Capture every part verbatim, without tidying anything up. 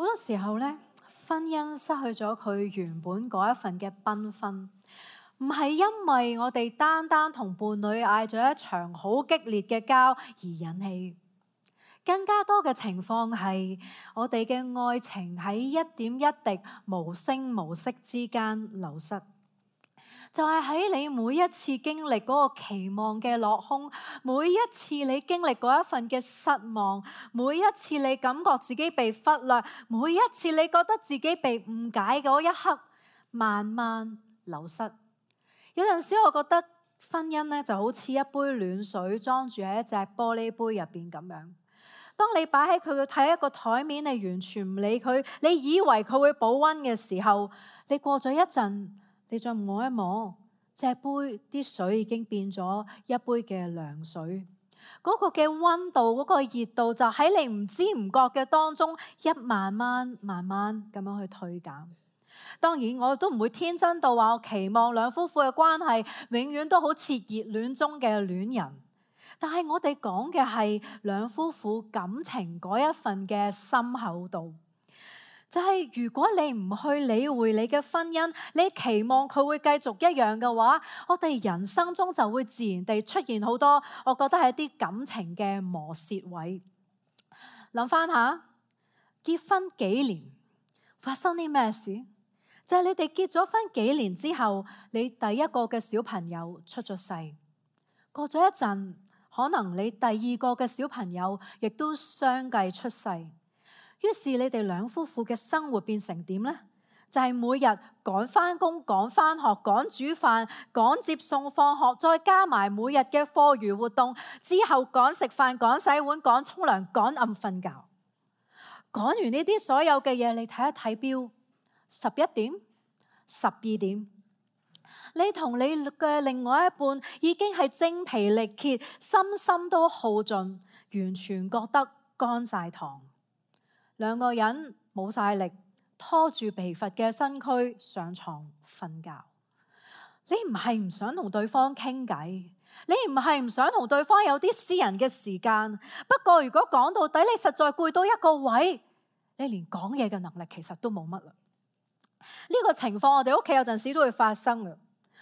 好多時候咧，婚姻失去咗佢原本嗰一份嘅繽紛，唔係因為我哋單單同伴侶嗌咗一場好激烈嘅交而引起，更加多嘅情況係我哋嘅愛情喺一點一滴無聲無息之間流失。就係喺你每一次經歷嗰個期望嘅落空，每一次你經歷嗰一份嘅失望，每一次你感覺自己被忽略，每一次你覺得自己被誤解嗰一刻，慢慢流失。有陣時我覺得婚姻咧就好似一杯暖水裝住喺一隻玻璃杯入邊咁樣。當你擺喺佢嘅睇一個台面，你完全唔理佢，你以為佢會保溫嘅時候，你過咗一陣，你再摸一摸，隻杯啲水已經變咗一杯嘅涼水。嗰個嘅溫度，嗰個熱度就喺你唔知唔覺嘅當中，一慢慢慢慢咁樣去退減。當然我都唔會天真到話我期望兩夫婦嘅關係永遠都好似熱戀中嘅戀人，但係我哋講嘅係兩夫婦感情嗰一份嘅深厚度。就係如果你唔去理會你嘅婚姻，你期望佢會繼續一樣嘅話，我哋人生中就會自然地出現好多，我覺得係一啲感情嘅磨蝕位。諗翻下，結婚幾年發生啲咩事？就係你哋結咗婚幾年之後，你第一個嘅小朋友出咗世，過咗一陣，可能你第二個嘅小朋友亦都相繼出世。於是你哋兩夫婦嘅生活變成點呢？就係、是、每日趕返工、趕返學、趕煮飯、趕接送放學，再加埋每日嘅課餘活動，之後趕食飯、趕洗碗、趕沖涼、趕暗瞓覺。趕完呢啲所有嘅嘢，你睇一睇錶，十一點、十二點，你同你嘅另外一半已經係精疲力竭，身心都耗盡，完全覺得乾晒糖。兩個人冇晒力，拖住疲乏嘅身軀上床瞓覺。你唔係唔想同對方傾偈，你唔係唔想同對方有啲私人嘅時間。不過如果講到底，你實在攰到一個位，你連講嘢嘅能力其實都冇乜啦。呢個情況我哋屋企有陣時都會發生嘅。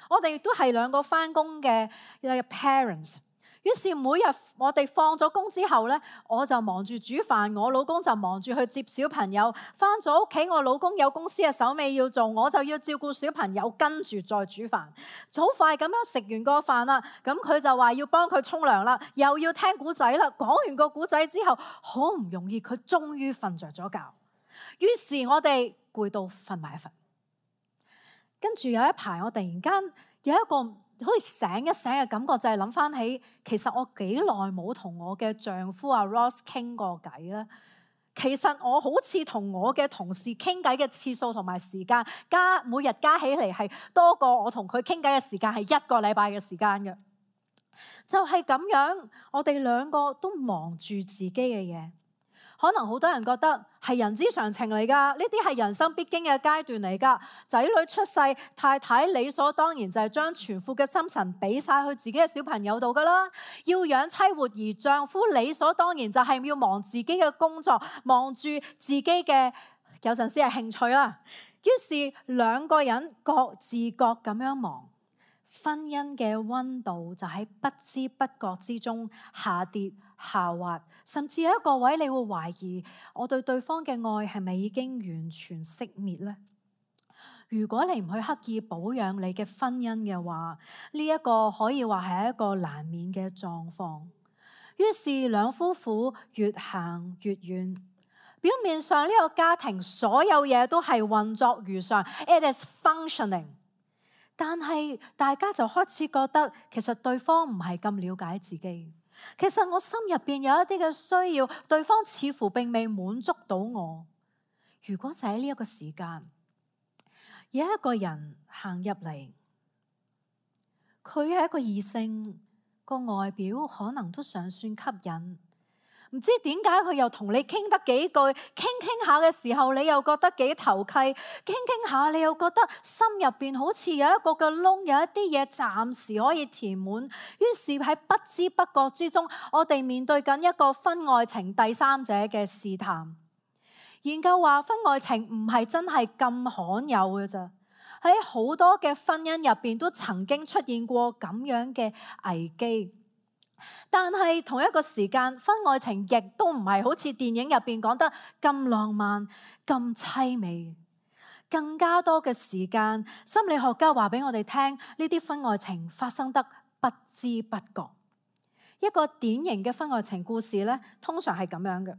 我哋都係兩個返工嘅 parents。於是每日我哋放咗工之後咧，我就忙住煮飯，我老公就忙住去接小朋友。返咗屋企，我老公有公司嘅手尾要做，我就要照顧小朋友，跟住再煮飯。好快咁樣食完個飯啦，咁佢就話要幫佢沖涼啦，又要聽古仔啦。講完個古仔之後，好唔容易佢終於瞓着咗覺。於是我哋攰到瞓埋一瞓。跟住有一排，我突然間有一個好似醒一醒嘅感覺，就係諗翻起，其實我幾耐冇同我嘅丈夫阿 Ross 傾過偈咧。其實我好似同我嘅同事傾偈嘅次數同埋時間加每日加起嚟係多過我同佢傾偈嘅時間係一個禮拜嘅時間嘅。就係咁樣，我哋兩個都忙住自己嘅嘢。可能好多人覺得係人之常情嚟噶，呢啲係人生必經嘅階段嚟噶。仔女出世，太太理所當然就係將全副嘅心神俾晒去自己嘅小朋友度噶啦。要養妻活兒，丈夫理所當然就係要忙自己嘅工作，忙住自己嘅有陣時係興趣啦。於是兩個人各自各咁樣忙，婚姻嘅溫度就喺不知不覺之中下跌下滑，甚至有一個位你會懷疑我對對方嘅愛係咪已經完全熄滅呢？如果你唔去刻意保養你嘅婚姻嘅話，呢一個可以話係一個難免嘅狀況。於是兩夫婦越行越遠，表面上呢個家庭所有嘢都係運作如常 ，it is functioning。但係大家就開始覺得，其實對方唔係咁了解自己。其實我心入邊有一啲嘅需要，對方似乎並未滿足到我。如果就喺呢一個時間，有一個人行入嚟，佢係一個異性，個外表可能都尚算吸引。唔知點解佢又同你傾得幾句，傾傾下嘅時候，你又覺得幾投契，傾傾下你又覺得心入邊好似有一個嘅窿，有一啲嘢暫時可以填滿。於是喺不知不覺之中，我哋面對緊一個婚外情第三者嘅試探。研究話婚外情唔係真係咁罕有嘅咋，喺好多嘅婚姻入邊都曾經出現過咁樣嘅危機。但係同一個時間，婚外情亦都唔係好似電影入邊講得咁浪漫、咁淒美。更加多嘅時間，心理學家話俾我哋聽，呢啲婚外情發生得不知不覺。一個典型嘅婚外情故事咧，通常係咁樣嘅：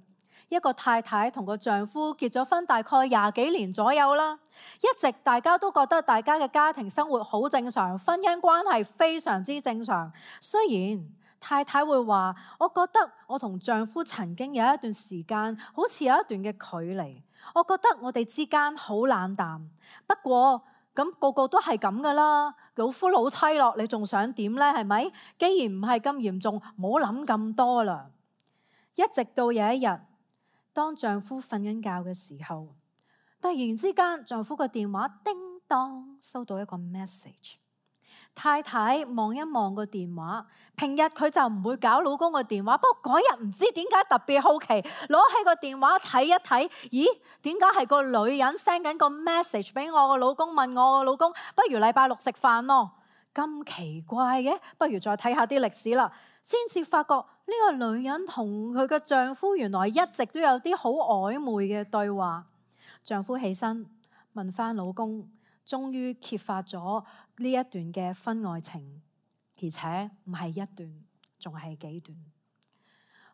一個太太同個丈夫結咗婚大概廿幾年左右啦，一直大家都覺得大家嘅家庭生活好正常，婚姻關係非常之正常。雖然太太會話：我覺得我同丈夫曾經有一段時間，好似有一段嘅距離。我覺得我哋之間好冷淡。不過咁個個都係咁噶啦，老夫老妻咯，你仲想點呢？係咪？既然唔係咁嚴重，唔好諗咁多啦。一直到有一日，當丈夫瞓緊覺嘅時候，突然之間丈夫個電話叮當收到一個 message。太太望一望個電話，平日佢就唔會搞老公個電話，不過嗰日唔知點解特別好奇，攞起個電話睇一睇，咦？點解係個女人 send 緊個 message 俾我個老公，問我個老公不如禮拜六食飯咯？咁奇怪嘅，不如再睇下啲歷史啦，先至發覺呢個女人同佢嘅丈夫原來一直都有啲好曖昧嘅對話。丈夫起身問翻老公，終於揭發咗呢一段嘅婚外情，而且唔係一段，仲係幾段。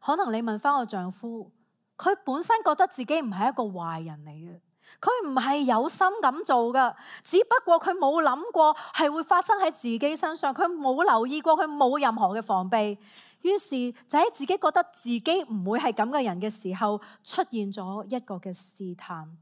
可能你問翻個丈夫，佢本身覺得自己唔係一個壞人嚟嘅，佢唔係有心咁做噶，只不過佢冇諗過係會發生喺自己身上，佢冇留意過，佢冇任何嘅防備，於是就喺自己覺得自己唔會係咁嘅人嘅時候，出現咗一個嘅試探。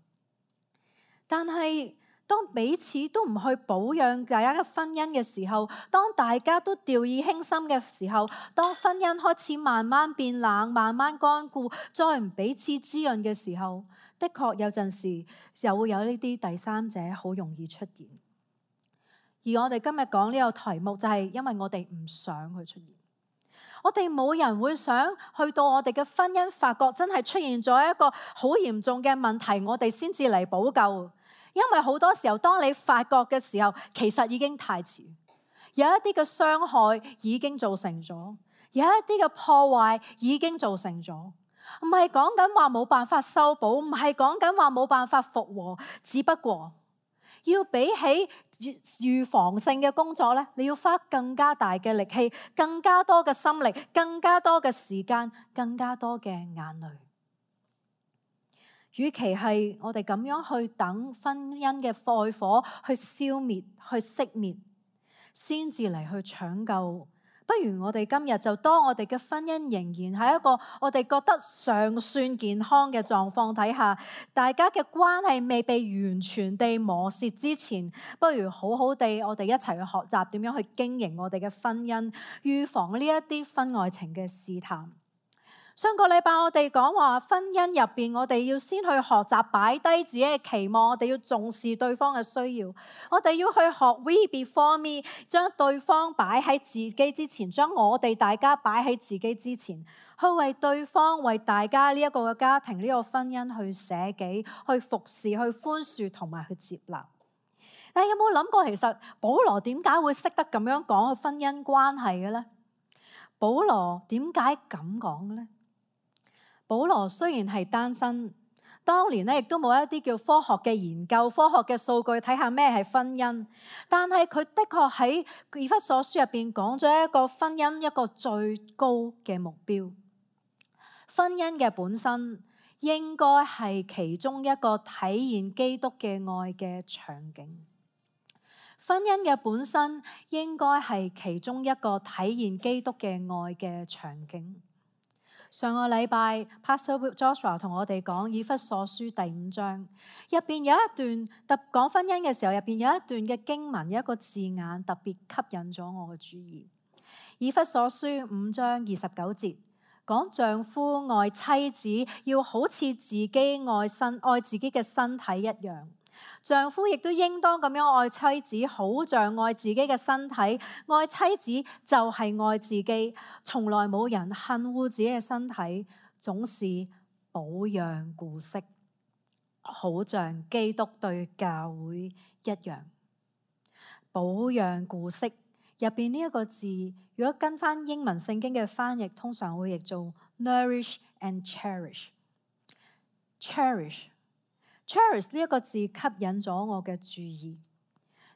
但係當彼此都唔去保養大家嘅婚姻嘅時候，當大家都掉以輕心嘅時候，當婚姻開始慢慢變冷、慢慢乾固，再唔彼此滋潤嘅時候，的確有陣時就會有呢啲第三者好容易出現。而我哋今日講呢個題目，就係因為我哋唔想佢出現。我哋冇人會想去到我哋嘅婚姻，發覺真係出現咗一個好嚴重嘅問題，我哋先至嚟補救。因為好多時候，當你發覺嘅時候，其實已經太遲，有一啲嘅傷害已經造成咗，有一啲嘅破壞已經造成咗。唔係講緊話冇辦法修補，唔係講緊話冇辦法復和，只不過要比起預防性嘅工作咧，你要花更加大嘅力氣，更加多嘅心力，更加多嘅時間，更加多嘅眼淚。與其係我哋咁樣去等婚姻嘅愛火去消滅、去熄滅，先至嚟去搶救，不如我哋今日就當我哋嘅婚姻仍然喺一個我哋覺得尚算健康嘅狀況底下，大家嘅關係未被完全地磨蝕之前，不如好好地我哋一齊去學習點樣去經營我哋嘅婚姻，預防呢一啲婚外情嘅試探。上個禮拜我哋講話婚姻入邊，我哋要先去學習擺低自己嘅期望，我哋要重視對方嘅需要，我哋要去學 we before me， 將對方擺喺自己之前，將我哋大家擺喺自己之前，去為對方、為大家呢一個嘅家庭、呢個婚姻去捨己、去服侍、去寬恕同埋去接納。但係有冇諗過，其實保羅點解會識得咁樣講個婚姻關係嘅咧？保羅點解咁講嘅咧？保羅雖然係單身，當年咧亦都冇一啲叫科學嘅研究、科學嘅數據睇下咩係婚姻，但係佢的確喺以弗所書入邊講咗一個婚姻一個最高嘅目標。婚姻嘅本身應該係其中一個體現基督嘅愛嘅場景。婚姻嘅本身應該係其中一個體現基督嘅愛嘅場景。上個禮拜 Pastor Joshua 同我哋講以弗所書第五章，入邊有一段特講婚姻嘅時候，入邊有一段嘅經文，有一個字眼特別吸引咗我嘅注意。以弗所書五章二十九節講丈夫愛妻子要好似自己愛身愛自己嘅身體一樣。丈夫亦都應當咁樣愛妻子，好像愛自己嘅身體。愛妻子就係愛自己，從來冇人恨惡自己嘅身體，總是保養顧惜。好像基督對教會一樣。保養顧惜入邊呢一個字，如果跟翻英文聖經嘅翻譯，通常會譯做 nourish and cherish。cherish cherish 呢一個字吸引咗我嘅注意。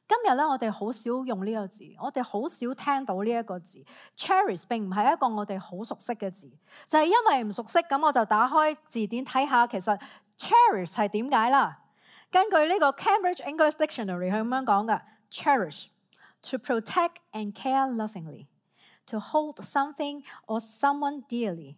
今日咧，我哋好少用呢個字，我哋好少聽到呢一個字。cherish 並唔係一個我哋好熟悉嘅字，就係因為唔熟悉，咁我就打開字典睇下，其實 cherish 係點解啦？根據呢個 Cambridge English Dictionary 係咁樣講嘅 cherish to protect and care lovingly, to hold something or someone dearly,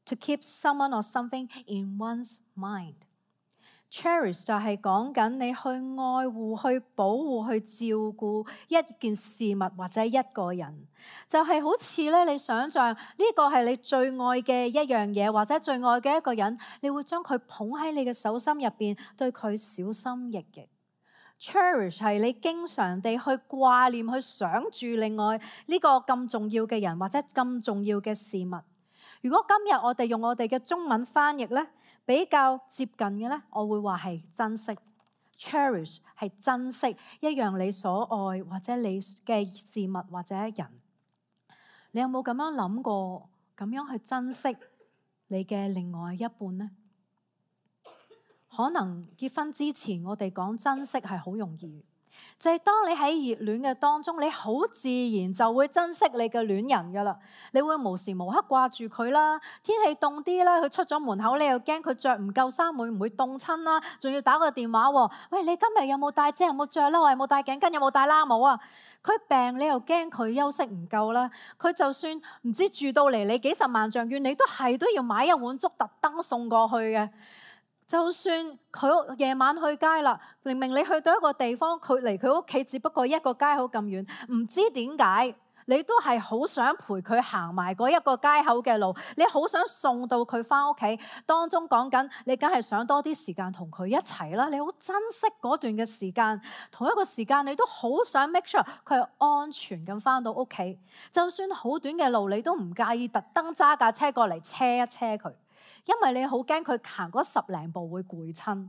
to keep someone or something in one's mind。cherish 就係講緊你去愛護、去保護、去照顧一件事物或者一個人，就係、是、好似咧你想象呢個係你最愛嘅一樣嘢，或者最愛嘅一個人，你會將佢捧喺你嘅手心入邊，對佢小心翼翼。cherish 係你經常地去掛念、去想住另外呢個咁重要嘅人或者咁重要嘅事物。如果今日我哋用我哋嘅中文翻譯咧，比較接近嘅咧，我會話係珍惜。cherish 係珍惜一樣你所愛或者你嘅事物或者人。你有冇咁樣諗過，咁樣去珍惜你嘅另外一半呢？可能結婚之前，我哋講珍惜係好容易，就係當你喺熱戀嘅當中，你好自然就會珍惜你嘅戀人噶啦。你會無時無刻掛住佢啦。天氣凍啲啦，佢出咗門口，你又驚佢着唔夠衫會唔會凍親啦？仲要打個電話喎，喂，你今日有冇帶遮？有冇着褸？有冇帶頸巾？有冇帶冷帽啊？佢病，你又驚佢休息唔夠啦。佢就算唔知住到嚟你幾十萬丈遠，你都係都要買一碗粥特登送過去嘅。就算佢夜晚去街啦，明明你去到一個地方，佢離佢屋企只不過一個街口咁遠，唔知點解你都係好想陪佢行埋嗰一個街口嘅路，你好想送到佢翻屋企。當中講緊你梗係想多啲時間同佢一齊啦，你好珍惜嗰段嘅時間，同一個時間你都好想 make sure 佢係安全咁翻到屋企。就算好短嘅路，你都唔介意特登揸架車過嚟車一車佢。因為你好驚佢行嗰十零步會攰親。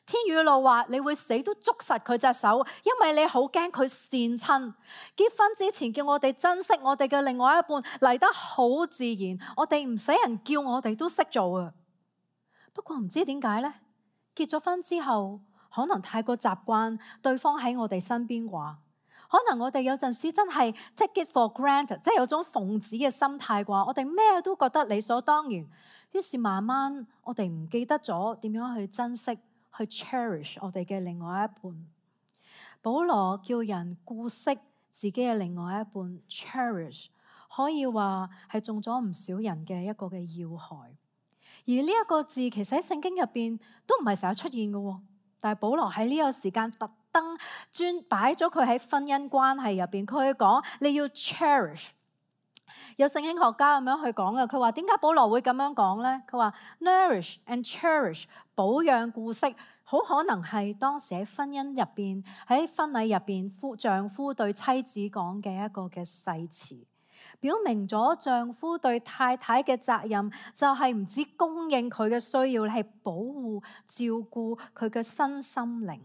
天雨露話你會死都捉實佢隻手，因為你好驚佢跣親。結婚之前叫我哋珍惜我哋嘅另外一半，嚟得好自然，我哋唔使人叫我哋都識做啊。不過唔知點解呢？結咗婚之後可能太過習慣對方喺我哋身邊啩。可能我哋有陣時真係 take it for granted， 即係有種奉旨嘅心態啩。我哋咩都覺得理所當然，於是慢慢我哋唔記得咗點樣去珍惜、去 cherish 我哋嘅另外一半。保羅叫人顧惜自己嘅另外一半 cherish， 可以話係中咗唔少人嘅一個嘅要害。而呢一個字其實喺聖經入邊都唔係成日出現嘅，但係保羅喺呢個時間特登專擺咗佢喺婚姻關係入邊，佢去講你要 cherish。有聖經學家咁樣去講嘅，佢話點解保羅會咁樣講咧？佢話 nourish and cherish 保養顧惜，好可能係當時喺婚姻入邊，喺婚禮入邊夫丈夫對妻子講嘅一個嘅誓詞，表明咗丈夫對太太嘅責任就係唔止供應佢嘅需要，係保護照顧佢嘅身心靈。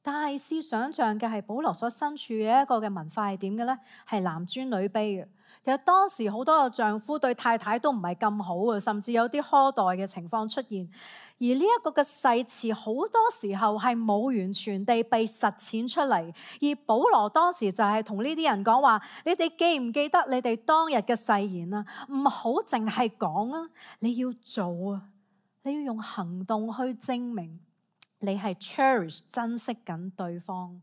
但係試想像嘅係保羅所身處嘅一個嘅文化係點嘅咧？係男尊女卑嘅。其實當時好多個丈夫對太太都唔係咁好嘅，甚至有啲苛待嘅情況出現。而呢一個嘅誓詞好多時候係冇完全地被實踐出嚟。而保羅當時就係同呢啲人講話：你哋記唔記得你哋當日嘅誓言啊？唔好淨係講啊，你要做啊，你要用行動去證明你係 cherish 珍惜緊對方。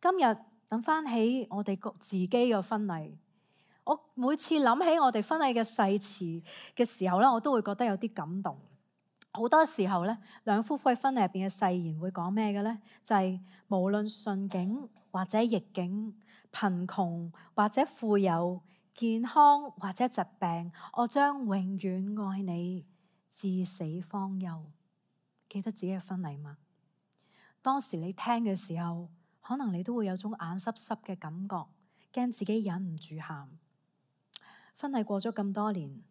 今日諗翻起我哋自己嘅婚禮，我每次諗起我哋婚禮嘅誓詞嘅時候咧，我都會覺得有啲感動。好多時候咧，兩夫婦喺婚禮入邊嘅誓言會講咩嘅咧？就係無論順境或者逆境，貧窮或者富有，健康或者疾病，我將永遠愛你，至死方休。記得自己嘅婚禮嗎？當時你聽嘅時候，可能你都會有種眼濕濕嘅感覺，驚自己忍唔住喊。婚禮過咗咁多年，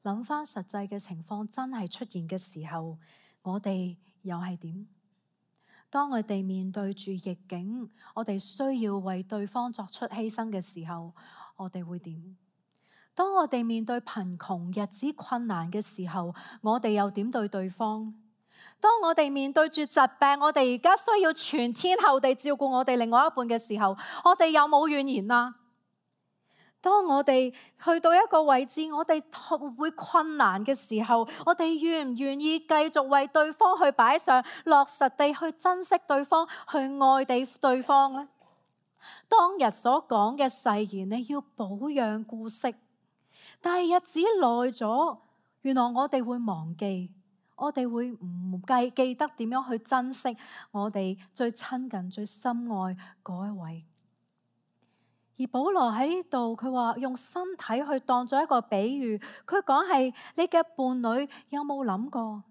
諗翻實際嘅情況真係出現嘅時候，我哋又係點？當我哋面對住逆境，我哋需要為對方作出犧牲嘅時候，我哋會點？當我哋面對貧窮、日子困難嘅時候，我哋又點對對方？當我哋面對住疾病，我哋而家需要全天候地照顧我哋另外一半嘅時候，我哋有冇怨言啊？當我哋去到一個位置，我哋會困難嘅時候，我哋願唔願意繼續為對方去擺上，落實地去珍惜對方，去愛地對方呢？當日所講嘅誓言，你要保養顧惜，但係日子耐咗，原來我哋會忘記，我哋會唔記記得點樣去珍惜我哋最親近、最深愛嗰一位。而保羅喺呢度，佢話用身體去當作一個比喻，佢講係你嘅伴侶有冇諗過？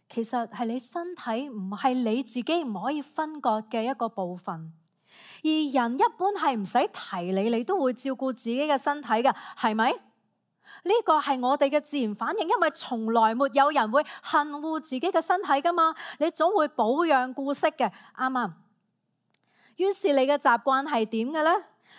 其實係你身體唔係你自己唔可以分割嘅一個部分。而人一般係唔使提你，你都會照顧自己嘅身體嘅，係咪？呢個係我哋嘅自然反應，因為從來沒有人會恨惡自己嘅身體噶嘛，你總會保養顧惜嘅，啱唔啱？於是你嘅習慣係點嘅呢？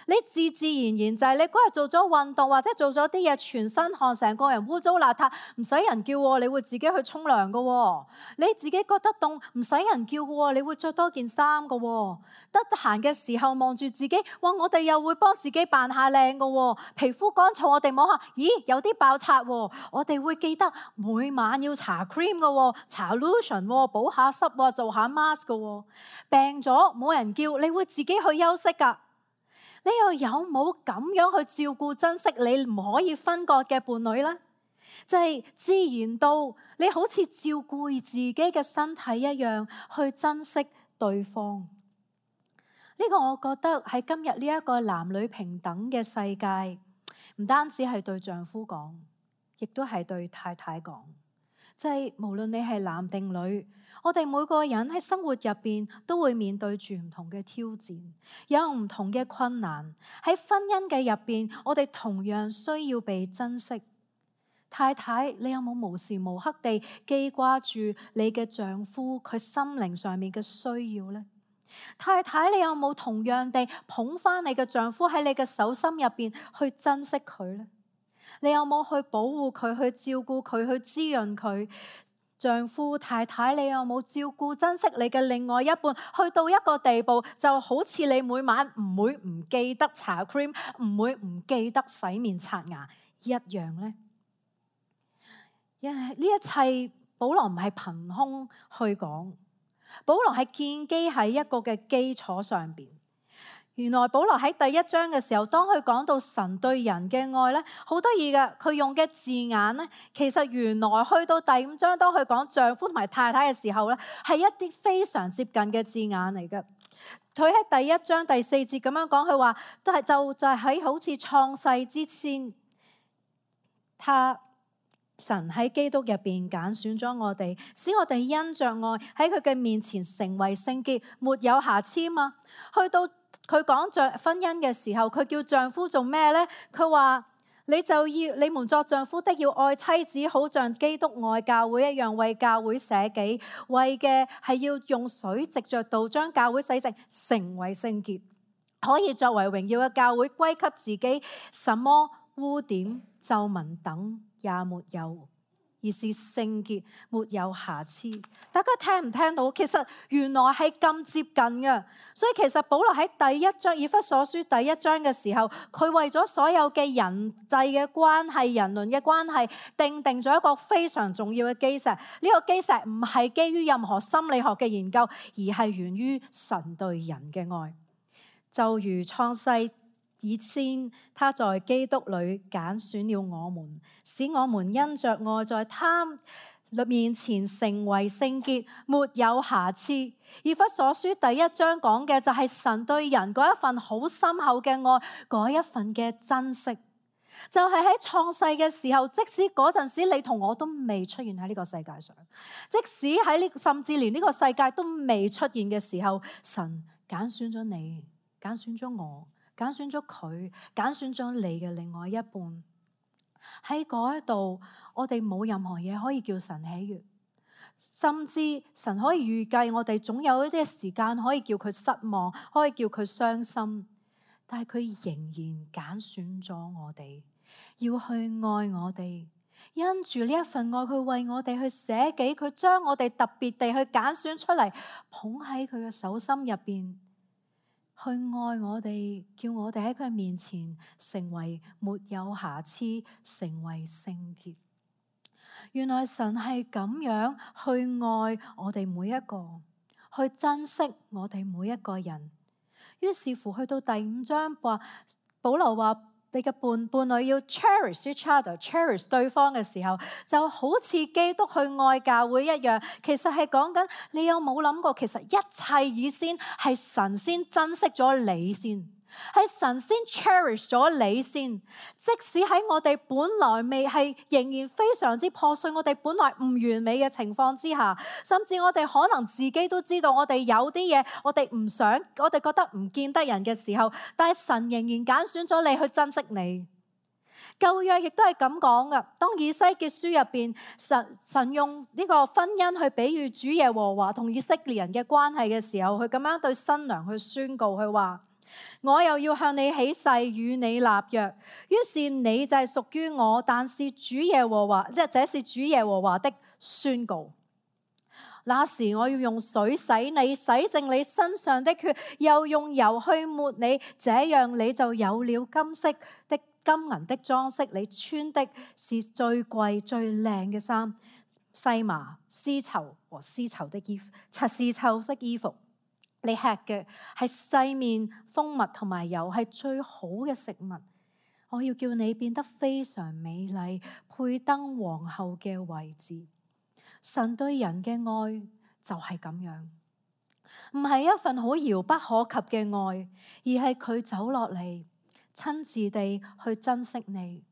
你自自然然就係你嗰日做咗運動或者做咗啲嘢，全身汗，成個人污糟邋遢，唔使人叫，你會自己去沖涼噶。你自己覺得凍，唔使人叫噶，你會着多件衫噶。得閒嘅時候望住自己，哇！我哋又會幫自己扮下靚噶。皮膚乾燥，我哋摸下，咦，有啲爆擦。我哋會記得每晚要搽 cream 噶，搽 lotion，補下濕，做下 mask 噶。病咗冇人叫，你會自己去休息噶。你又有冇咁樣去照顧珍惜你唔可以分割嘅伴侶呢？就係自然到你好似照顧自己嘅身體一樣去珍惜對方。呢個我覺得喺今日呢一個男女平等嘅世界，唔單止係對丈夫講，亦都係對太太講。就係無論你係男定女，我哋每個人喺生活入邊都會面對住唔同嘅挑戰，有唔同嘅困難。喺婚姻嘅入邊，我哋同樣需要被珍惜。太太，你有冇無時無刻地記掛住你嘅丈夫佢心靈上面嘅需要呢？太太，你有冇同樣地捧返你嘅丈夫喺你嘅手心入邊去珍惜佢呢？你有冇去保護佢、去照顧佢、去滋潤佢？丈夫、太太，你有冇照顧、珍惜你嘅另外一半？去到一個地步，就好似你每晚唔會唔記得搽 cream，唔會唔記得洗面刷牙一樣呢？因為呢一切，保羅唔係憑空去講，保羅係建基喺一個嘅基礎上邊。原來保羅喺第一章嘅時候，當佢講到神對人嘅愛咧，好得意嘅，佢用嘅字眼咧，其實原來去到第五章，當佢講丈夫同埋太太嘅時候咧，係一啲非常接近嘅字眼嚟嘅。佢喺第一章第四節咁樣講，佢話都係就就係喺好似創世之前，他神喺基督入邊揀選咗我哋，使我哋因着愛喺佢嘅面前成為聖潔，沒有瑕疵嘛。去到佢講着婚姻嘅時候，佢叫丈夫做咩呢？佢話你就要你們作丈夫的要愛妻子，好像基督愛教會一樣，為教會捨己，為嘅係要用水藉着道將教會洗淨，成為聖潔，可以作為榮耀嘅教會，歸給自己，什麼污點皺紋等也沒有，而是聖潔，沒有瑕疵。大家聽唔聽到？其實原來係咁接近嘅。所以其實保羅喺第一章以弗所書第一章嘅時候，佢為咗所有嘅人際嘅關係、人倫嘅關係，定定咗一個非常重要嘅基石。呢、這個基石唔係基於任何心理學嘅研究，而係源於神對人嘅愛。就如創世以先，他在基督裏揀選了我們，使我們因着愛在他面前成為聖潔，沒有瑕疵。以弗所書第一章講嘅就係神對人嗰一份好深厚嘅愛，嗰一份嘅珍惜，就係喺創世嘅時候，即使嗰陣時你同我都未出現喺呢個世界上，即使喺呢甚至連呢個世界都未出現嘅時候，神揀選咗你，揀選咗我。揀選咗佢，揀選咗你嘅另外一半。喺嗰一度，我哋冇任何嘢可以叫神喜悅。甚至神可以預計我哋總有一啲時間可以叫佢失望，可以叫佢傷心，但係佢仍然揀選咗我哋，要去愛我哋。因住呢一份愛，佢為我哋去捨己，佢將我哋特別地去揀選出嚟，捧喺佢嘅手心入邊，去愛我哋，叫我哋喺佢面前成為沒有瑕疵，成為聖潔。原來神係咁樣去愛我哋每一個，去珍惜我哋每一個人。於是乎去到第五章話，保羅話你嘅伴伴侶要 cherish each other，cherish 對方嘅時候，就好似基督去愛教會一樣。其實係講緊你有冇諗過，其實一切以先係神先珍惜咗你先，係神先 cherish 咗你先。即使喺我哋本來未係仍然非常之破碎，我哋本來唔完美嘅情況之下，甚至我哋可能自己都知道我哋有啲嘢我哋唔想，我哋覺得唔見得人嘅時候，但係神仍然揀選咗你去珍惜你。舊約亦都係咁講噶，當以西結書入邊，神神用呢個婚姻去比喻主耶和華同以色列人嘅關係嘅時候，佢咁樣對新娘去宣告，佢話：我又要向你起誓，與你立約，於是你就係屬於我，但是主耶和華，即係這是主耶和華的宣告。那時我要用水洗你，洗淨你身上的血，又用油去抹你，這樣你就有了金色的金銀的裝飾，你穿的是最貴最靚嘅衫，細麻絲綢和絲綢的衣服，擦絲綢色衣服。你吃嘅係細麵、蜂蜜同埋油，係最好嘅食物。我要叫你變得非常美麗，配登皇后嘅位置。神對人嘅愛就係咁樣，唔係一份好遙不可及嘅愛，而係佢走落嚟，親自地去珍惜你。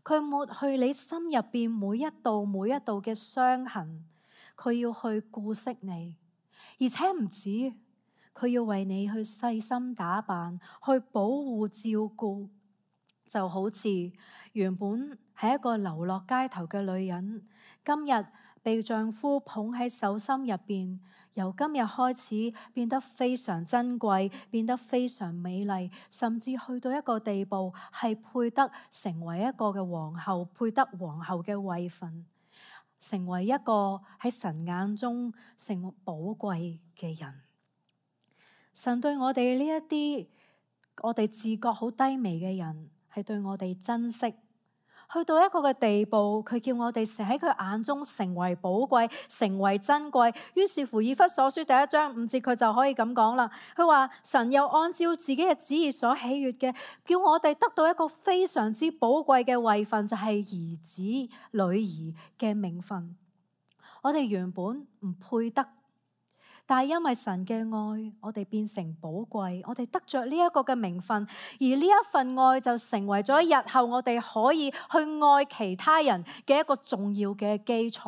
佢抹去你心入邊每一道每一道嘅傷痕，佢要去顧惜你，而且唔止。佢要為你去細心打扮，去保護照顧，就好似原本係一個流落街頭嘅女人，今日被丈夫捧喺手心入邊，由今日開始變得非常珍貴，變得非常美麗，甚至去到一個地步係配得成為一個嘅皇后，配得皇后嘅位份，成為一個喺神眼中成為寶貴嘅人。神對我哋呢一啲我哋自覺好低微嘅人，係對我哋珍惜，去到一個嘅地步，佢叫我哋成喺佢眼中成為寶貴，成為珍貴。於是乎，以弗所書第一章五節，佢就可以咁講啦。佢話神又按照自己嘅旨意所喜悅嘅，叫我哋得到一個非常之寶貴嘅位份，就係兒子女兒嘅名分。我哋原本唔配得，但係因為神嘅愛，我哋變成寶貴，我哋得着呢一個嘅名分，而呢一份愛就成為咗日後我哋可以去愛其他人嘅一個重要嘅基礎。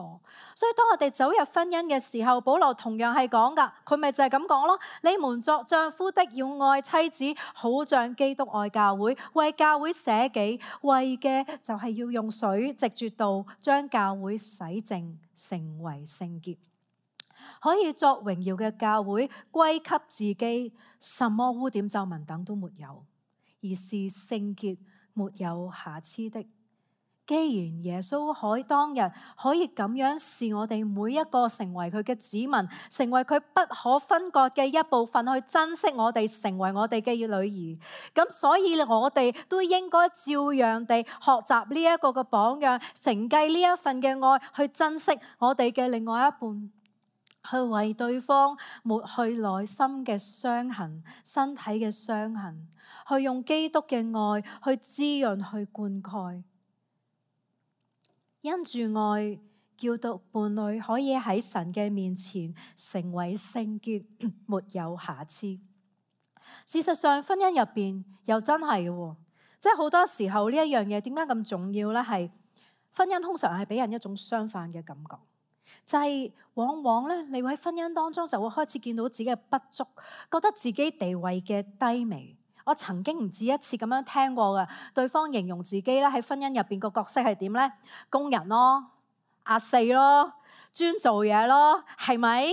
所以當我哋走入婚姻嘅時候，保羅同樣係講噶，佢咪就係咁講咯。你們作丈夫的要愛妻子，好像基督愛教會，為教會捨己，為嘅就係要用水藉住道將教會洗淨，成為聖潔。可以作榮耀嘅教會，歸給自己，什麼污點皺紋等都沒有，而是聖潔沒有瑕疵的。既然耶穌可以當日可以咁樣視我哋每一個成為佢嘅子民，成為佢不可分割嘅一部分，去珍惜我哋，成為我哋嘅女兒，咁所以我哋都應該照樣地學習呢一個嘅榜樣，承繼呢一份嘅愛，去珍惜我哋嘅另外一半，去為對方抹去內心嘅傷痕、身體嘅傷痕，去用基督嘅愛去滋潤、去灌溉。因住愛，叫到伴侶可以喺神嘅面前成為聖潔，沒有瑕疵。事實上，婚姻入邊又真係嘅，即係好多時候呢一樣嘢點解咁重要呢？係婚姻通常係俾人一種相反嘅感覺。就係往往咧，你會喺婚姻當中就會開始見到自己嘅不足，覺得自己地位嘅低微。我曾經唔止一次咁樣聽過嘅，對方形容自己咧喺婚姻入邊個角色係點咧？工人咯，阿四咯，專做嘢咯，係咪？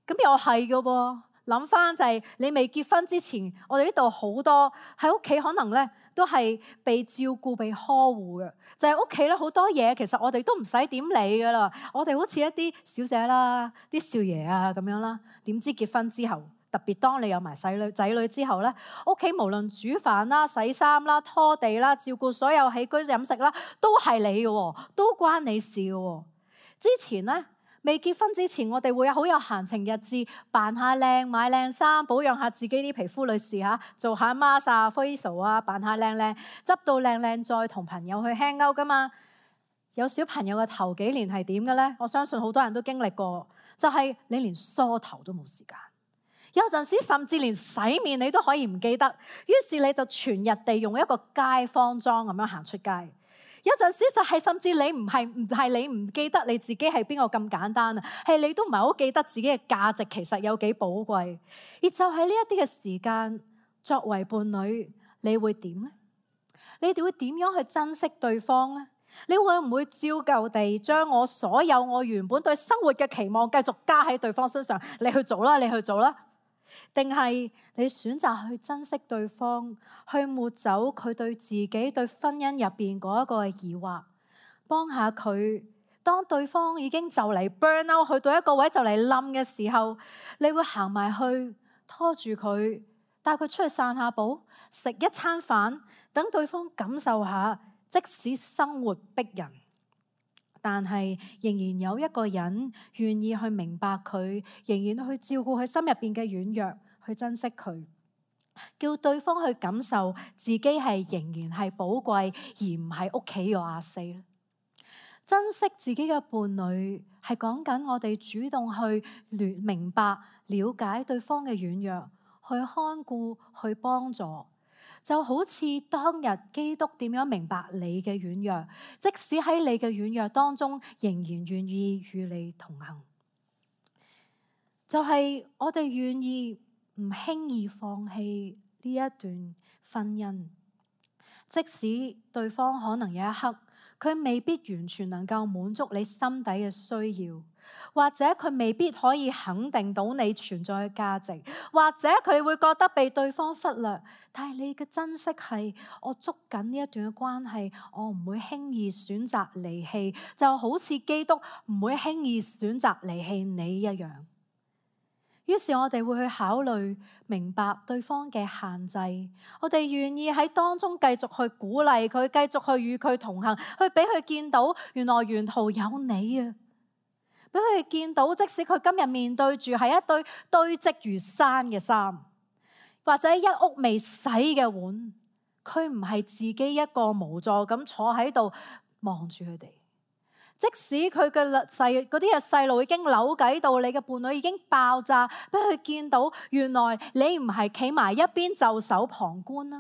咁又係嘅噃。諗翻就係你未結婚之前，我哋呢度好多喺屋企可能咧都係被照顧、被呵護嘅。就係屋企咧好多嘢，其實我哋都唔使點理噶啦。我哋好似一啲小姐啦、啲少爺啊咁樣啦。點知結婚之後，特別當你有埋細女仔女之後咧，屋企無論煮飯啦、洗衫啦、拖地啦、照顧所有起居飲食啦，都係你嘅，都關你事嘅。之前咧。未結婚之前，我哋會有好有閒情逸致，扮下靚、買靚衫、保養下自己啲皮膚。女士嚇，做下 mask 啊、facial 啊，扮下靚靚，執到靚靚，再同朋友去 hang out 噶嘛。有小朋友嘅頭幾年係點嘅咧？我相信好多人都經歷過，就係、是、你連梳頭都冇時間，有陣時甚至連洗面你都可以唔記得，於是你就全日地用一個街坊裝咁樣行出街。有陣時就係甚至你唔係唔係你唔記得你自己係邊個咁簡單啊，係你都唔係好記得自己嘅價值其實有幾寶貴。而就係呢一啲嘅時間，作為伴侶，你會點呢？你哋會點樣去珍惜對方呢？你會唔會照舊地將我所有我原本對生活嘅期望繼續加喺對方身上？你去做啦，你去做啦。定係你選擇去珍惜對方，去抹走佢對自己對婚姻入邊嗰一個疑惑，幫下佢。當對方已經就嚟 burn out，去到一個位就嚟冧嘅時候，你會行埋去拖住佢，帶佢出去散下步，食一餐飯，等對方感受下，即使生活逼人，但係仍然有一個人願意去明白佢，仍然去照顧佢心入邊嘅軟弱，去珍惜佢，叫對方去感受自己係仍然係寶貴，而唔係屋企嘅阿四。珍惜自己嘅伴侶係講緊我哋主動去明白、了解對方嘅軟弱，去看顧、去幫助。就好似當日基督點樣明白你嘅軟弱，即使喺你嘅軟弱當中，仍然願意與你同行。就係、是、我哋願意唔輕易放棄呢一段婚姻，即使對方可能有一刻佢未必完全能夠滿足你心底嘅需要，或者佢未必可以肯定到你存在嘅價值，或者佢會覺得被對方忽略。但係你嘅珍惜係，我捉緊呢一段嘅關係，我唔會輕易選擇離棄，就好似基督唔會輕易選擇離棄你一樣。於是我哋會去考慮明白對方嘅限制，我哋願意喺當中繼續去鼓勵佢，繼續去與佢同行，去俾佢見到原來沿途有你啊！俾佢見到，即使佢今日面對住係一堆堆積如山嘅衫，或者一屋未洗嘅碗，佢唔係自己一個無助咁坐喺度望住佢哋。即使佢嘅細嗰啲嘅細路已經扭計到，你嘅伴侶已經爆炸，俾佢見到原來你唔係企埋一邊袖手旁觀啦。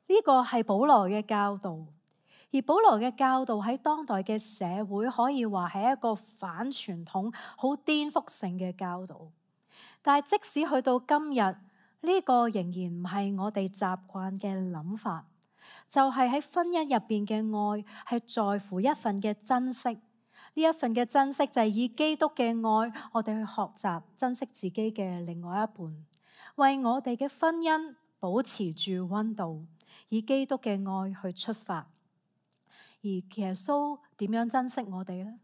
呢個係保羅嘅教導，而保羅嘅教導喺當代嘅社會可以話係一個反傳統、好顛覆性嘅教導。但係即使去到今日，呢個仍然唔係我哋習慣嘅諗法。就係喺婚姻入邊嘅愛，係在乎一份嘅珍惜。呢一份嘅珍惜就係以基督嘅愛，我哋去學習珍惜自己嘅另外一半，為我哋嘅婚姻保持住溫度，以基督嘅愛去出發。而耶穌點樣珍惜我哋呢？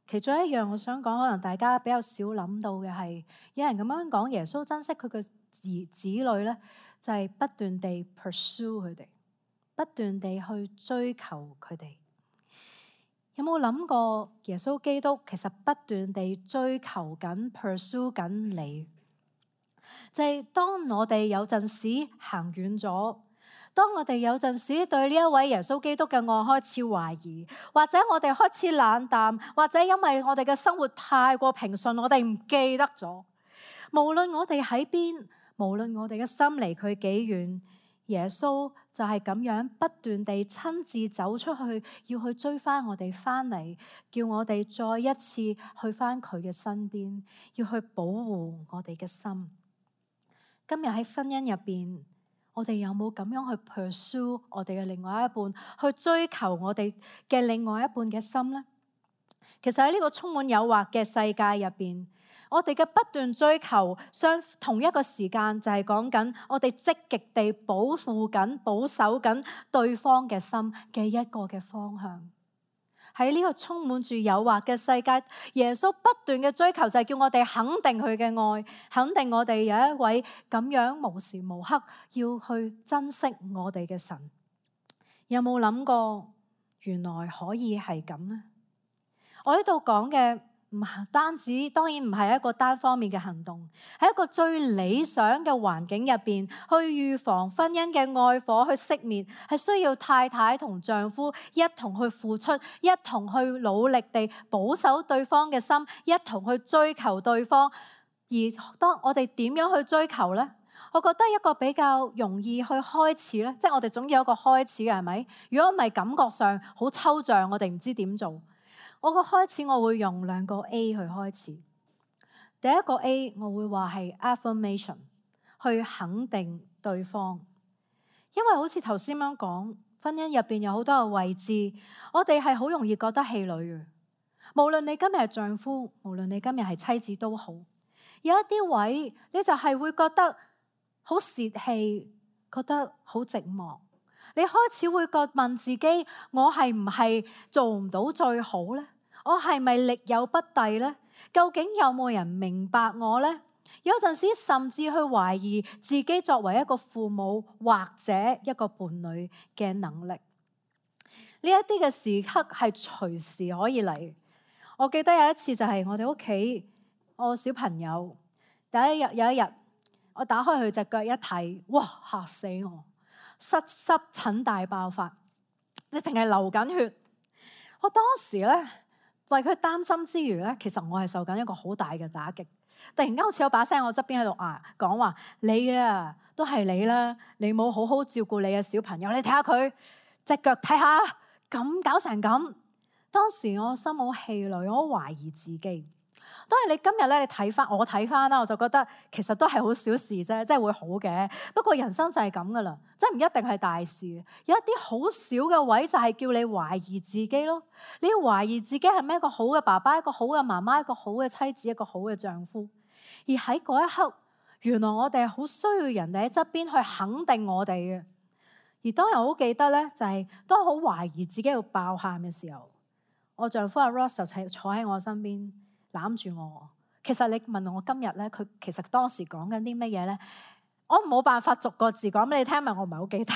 其中一樣我想講，可能大家比較少諗到嘅係，有人咁樣講耶穌珍惜佢嘅子子女咧，就係不斷地 pursue 佢哋。不斷地去追求佢哋，有冇諗過耶穌基督其實不斷地追求緊、pursue 緊你？就係當我哋有陣時行遠咗，當我哋有陣時對呢一位耶穌基督嘅愛開始懷疑，或者我哋開始冷淡，或者因為我哋嘅生活太過平順，我哋唔記得咗。無論我哋喺邊，無論我哋嘅心離佢幾遠，耶穌就係咁樣不斷地親自走出去，要去追翻我哋翻嚟，叫我哋再一次去翻佢嘅身邊，要去保護我哋嘅心。今日喺婚姻入邊，我哋有冇咁樣去 pursue 我哋嘅另外一半，去追求我哋嘅另外一半嘅心呢？其實喺呢個充滿誘惑嘅世界入邊，我哋嘅不斷追求，相同一個時間就係講緊我哋積極地保護緊、保守緊對方嘅心嘅一個嘅方向。喺呢個充滿住誘惑嘅世界，耶穌不斷嘅追求就係叫我哋肯定佢嘅愛，肯定我哋有一位咁樣無時無刻要去珍惜我哋嘅神。有冇諗過原來可以係咁呢？我呢度講嘅唔單止，當然唔係一個單方面嘅行動，喺一個最理想嘅環境入邊，去預防婚姻嘅愛火去熄滅，係需要太太同丈夫一同去付出，一同去努力地保守對方嘅心，一同去追求對方。而當我哋點樣去追求呢？我覺得一個比較容易去開始咧，即係我哋總要有一個開始嘅，係咪？如果唔係，感覺上好抽象，我哋唔知點做。我個開始，我會用兩個 A 去開始。第一個 A， 我會話係 affirmation， 去肯定對方。因為好似頭先咁講，婚姻入邊有好多個位置，我哋係好容易覺得氣餒嘅。無論你今日係丈夫，無論你今日係妻子都好，有一啲位你就係會覺得好泄氣，覺得好寂寞。你開始會覺問自己，我係唔係做唔到最好呢？我係咪力有不逮呢？究竟有冇人明白我呢？有陣時甚至去懷疑自己作為一個父母或者一個伴侶嘅能力。呢一啲嘅時刻係隨時可以嚟。我記得有一次就係我哋屋企，我小朋友第一日有一日，我打開佢隻腳一睇，哇，嚇死我！濕濕疹大爆發，即係淨係流緊血。我當時咧為佢擔心之餘咧，其實我係受緊一個好大嘅打擊。突然間好似有把聲喺我側邊喺度啊講話，你啊都係你啦，你冇好好照顧你嘅小朋友，你睇下佢隻腳，睇下咁搞成咁。當時我心好氣餒，我好懷疑自己。當然你今日咧，你睇翻我睇翻啦，我就覺得其實都係好小事啫，即係會好嘅。不過人生就係咁噶啦，即係唔一定係大事。有一啲好少嘅位就係叫你懷疑自己咯。你要懷疑自己係咪一個好嘅爸爸，一個好嘅媽媽，一個好嘅妻子，一個好嘅丈夫。而喺嗰一刻，原來我哋係好需要人哋喺側邊去肯定我哋嘅。而當日我好記得咧，就係當我好懷疑自己要爆喊嘅時候，我丈夫阿 Ross 就坐喺我身邊，攬住我。其實你問我今日咧，佢其實當時講緊啲乜嘢咧？我冇辦法逐個字講俾你聽，因為我唔係好記得。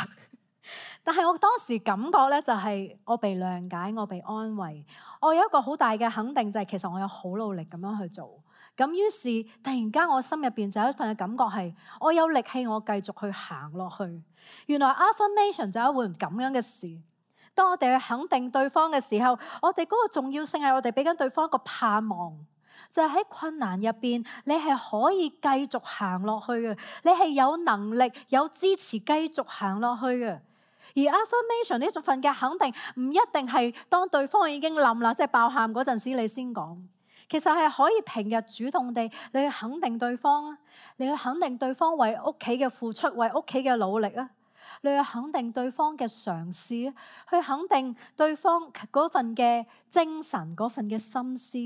但係我當時感覺咧，就係我被諒解，我被安慰。我有一個好大嘅肯定，就係其實我有好努力咁樣去做。咁於是突然間我心入邊就有一份嘅感覺係，我有力氣，我繼續去行落去。原來 affirmation 就係一回咁樣嘅事。當我哋去肯定對方嘅時候，我哋嗰個重要性係我哋俾緊對方一個盼望。就係喺困難入邊，你係可以繼續行落去嘅，你係有能力、有支持繼續行落去嘅。而 affirmation 呢種份嘅肯定，唔一定係當對方已經冧啦，即係爆喊嗰陣時你先講。其實係可以平日主動地，你去肯定對方啊，你去肯定對方為屋企嘅付出，為屋企嘅努力啊，你去肯定對方嘅嘗試啊，去肯定對方嗰份嘅精神、嗰份嘅心思。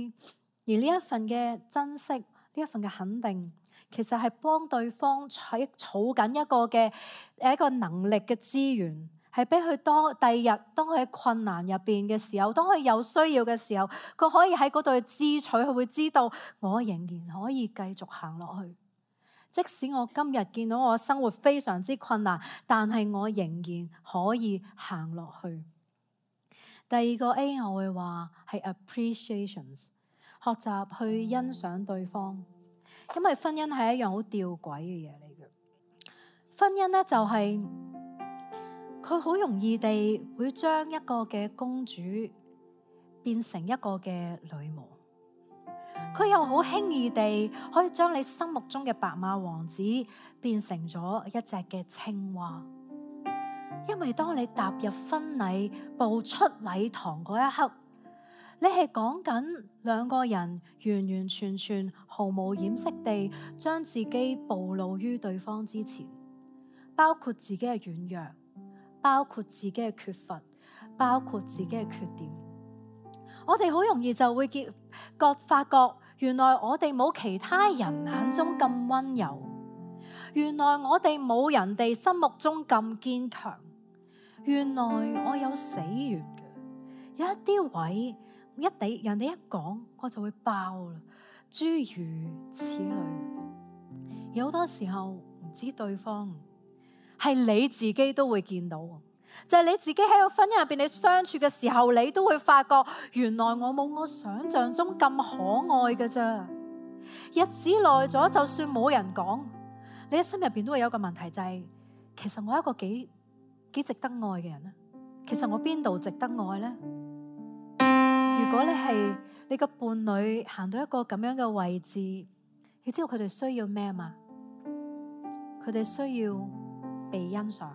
而呢一份嘅珍惜，呢一份嘅肯定，其實係幫對方喺儲緊一個嘅誒一個能力嘅資源，係俾佢當第二日當佢喺困難入邊嘅時候，當佢有需要嘅時候，佢可以喺嗰度去支取，佢會知道我仍然可以繼續行落去。即使我今日見到我生活非常之困難，但係我仍然可以行落去。第二個 A 我會話係 appreciations。學習去欣賞對方，因為婚姻係一樣好吊詭嘅嘢嚟嘅。婚姻咧就係佢好容易地會將一個嘅公主變成一個嘅女巫，佢又好輕易地可以將你心目中嘅白馬王子變成咗一隻嘅青蛙。因為當你踏入婚禮步出禮堂嗰一刻，你係講緊兩個人完完全全毫無掩飾地將自己暴露於對方之前，包括自己嘅軟弱，包括自己嘅缺乏，包括自己嘅缺點。我哋好容易就會覺覺發覺，原來我哋冇其他人眼中咁溫柔，原來我哋冇人哋心目中咁堅強，原來我有死穴嘅，有一啲位一地人哋一講我就會爆啦，諸如此類。有好多時候唔知對方，係你自己都會見到，就係你自己喺個婚姻入邊，你相處嘅時候，你都會發覺，原來我冇我想象中咁可愛㗎咋。日子耐咗，就算冇人講，你喺心入邊都會有一個問題，就係其實我係一個幾幾值得愛嘅人咧。其實我邊度值得愛呢？如果你係你個伴侶行到一個咁樣嘅位置，你知道佢哋需要咩嘛？佢哋需要被欣賞，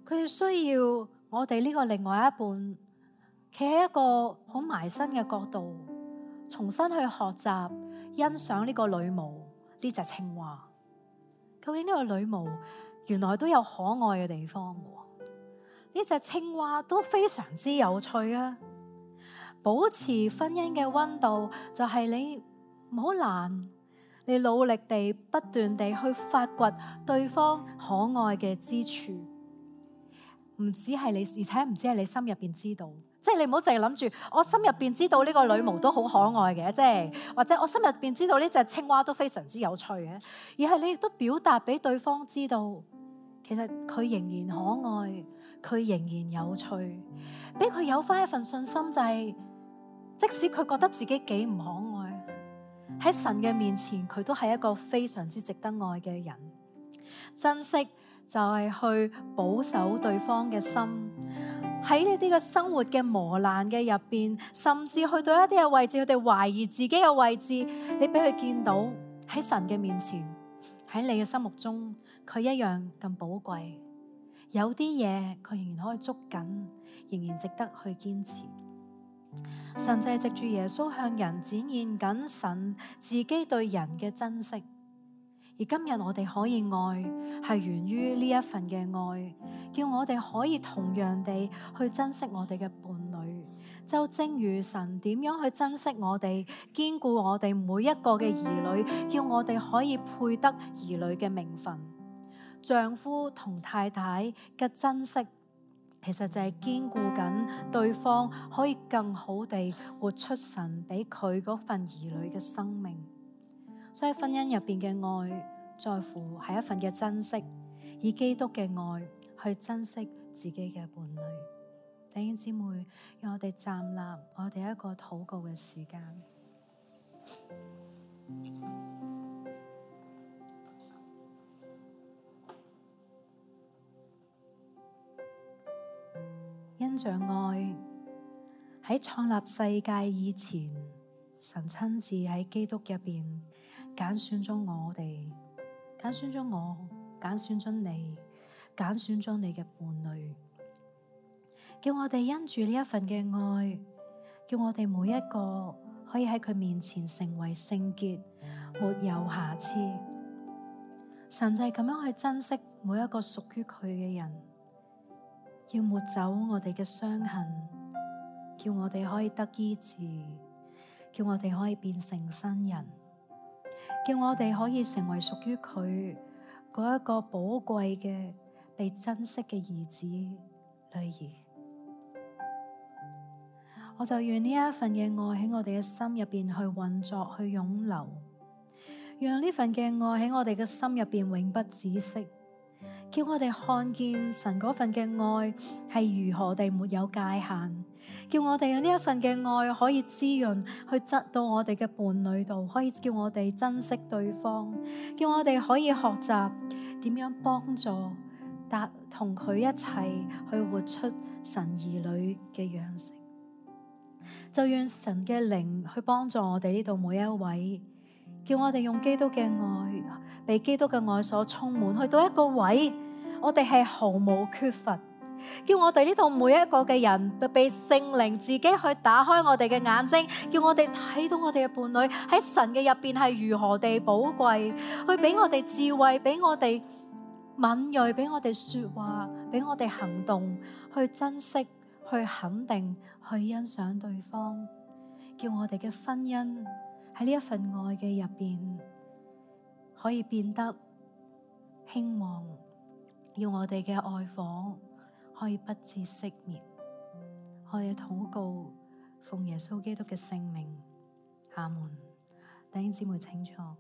佢哋需要我哋呢個另外一半企喺一個好埋身嘅角度，重新去學習欣賞呢個女巫，呢隻青蛙。究竟呢個女巫原來都有可愛嘅地方嘅，呢隻青蛙都非常之有趣啊！保持婚姻嘅溫度就係你唔好懶，你努力地不斷地去發掘對方可愛嘅之處，唔止係你，而且唔止係你心入邊知道，即係你唔好淨係諗住我心入邊知道呢個女巫都好可愛嘅，即係或者我心入邊知道呢隻青蛙都非常之有趣嘅，而係你亦都表達俾對方知道，其實佢仍然可愛，佢仍然有趣，俾佢有翻一份信心，就係即使佢覺得自己幾唔可愛，喺神嘅面前，佢都係一個非常之值得愛嘅人。珍惜就係去保守對方嘅心，喺呢啲嘅生活嘅磨難嘅入邊，甚至去到一啲嘅位置，佢哋懷疑自己嘅位置，你俾佢見到喺神嘅面前，喺你嘅心目中，佢一樣咁寶貴。有啲嘢佢仍然可以捉緊，仍然值得去堅持。神就係藉住耶穌向人展現緊神自己對人嘅珍惜，而今日我哋可以愛，係源於呢一份嘅愛，叫我哋可以同樣地去珍惜我哋嘅伴侶，就正如神點樣去珍惜我哋，堅固我哋每一個嘅兒女，叫我哋可以配得兒女嘅名分。丈夫同太太嘅珍惜，其實就係堅固緊對方可以更好地活出神俾佢嗰份兒女嘅生命。所以婚姻入邊嘅愛，在乎係一份嘅珍惜，以基督嘅愛去珍惜自己嘅伴侶。弟兄姊妹，讓我哋站立，我哋一個禱告嘅時間。因着愛，喺創立世界以前，神親自喺基督入邊揀選咗我哋，揀選咗我，揀選咗你，揀選咗你嘅伴侶，叫我哋因住呢一份嘅愛，叫我哋每一個可以喺佢面前成為聖潔，沒有瑕疵。神就係咁樣去珍惜每一個屬於佢嘅人。要抹走我哋嘅傷痕，叫我哋可以得醫治，叫我哋可以變成新人，叫我哋可以成為屬於佢嗰一個寶貴嘅被珍惜嘅兒子女兒。我就願呢一份嘅愛喺我哋嘅心入邊去運作，去湧流，讓呢份嘅愛喺我哋嘅心入邊永不止息。叫我哋看見神嗰份嘅愛係如何地沒有界限，叫我哋有呢一份嘅愛可以滋潤去質到我哋嘅伴侶度，可以叫我哋珍惜對方，叫我哋可以學習點樣幫助達同佢一齊去活出神兒女嘅樣式。就願神嘅靈去幫助我哋呢度每一位，叫我哋用基督嘅愛，被基督嘅愛所充滿，去到一個位，我哋係毫無缺乏。叫我哋呢度每一個嘅人，被聖靈自己去打開我哋嘅眼睛，叫我哋睇到我哋嘅伴侶喺神嘅入邊係如何地寶貴，去俾我哋智慧，俾我哋敏銳，俾我哋說話，俾我哋行動，去珍惜，去肯定，去欣賞對方，叫我哋嘅婚姻喺呢一份愛嘅入邊可以變得興旺，要我哋嘅愛火可以不致熄滅。我哋禱告，奉耶穌基督嘅聖名，阿門。弟兄姊妹請坐。